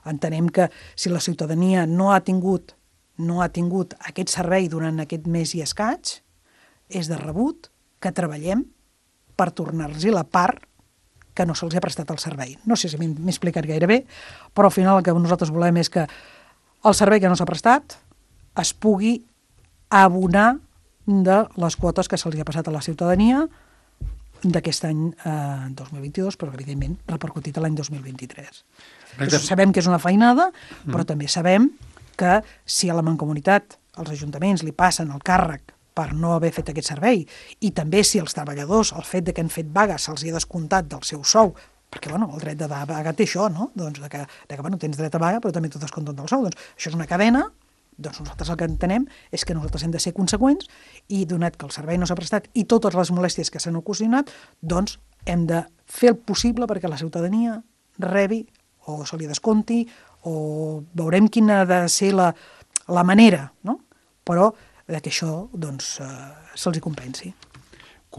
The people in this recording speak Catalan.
Entenem que si la ciutadania no ha tingut aquest servei durant aquest mes i escaig, és de rebut que treballem per tornar-los la part que no se'ls ha prestat el servei. No sé si m'he explicat gaire bé, però al final el que nosaltres volem és que el servei que no s'ha prestat es pugui abonar de les quotes que se'ls ha passat a la ciutadania d'aquest any 2022, però evidentment repercutit a l'any 2023. Sabem que és una feinada, però també sabem que si a la Mancomunitat, als ajuntaments, li passen el càrrec per no haver fet aquest servei, i també si els treballadors, el fet de que han fet vaga, se'ls hi ha descomptat del seu sou, perquè el dret de vaga té això, no? Doncs que tens dret a vaga, però també t'ho descompten del sou. Doncs això és una cadena, doncs nosaltres el que entenem és que nosaltres hem de ser conseqüents i, donat que el servei no s'ha prestat i totes les molèsties que s'han ocasionat, doncs hem de fer el possible perquè la ciutadania rebi o se li descompti o veurem quina ha de ser la manera, no? Però que això se'ls hi compensi.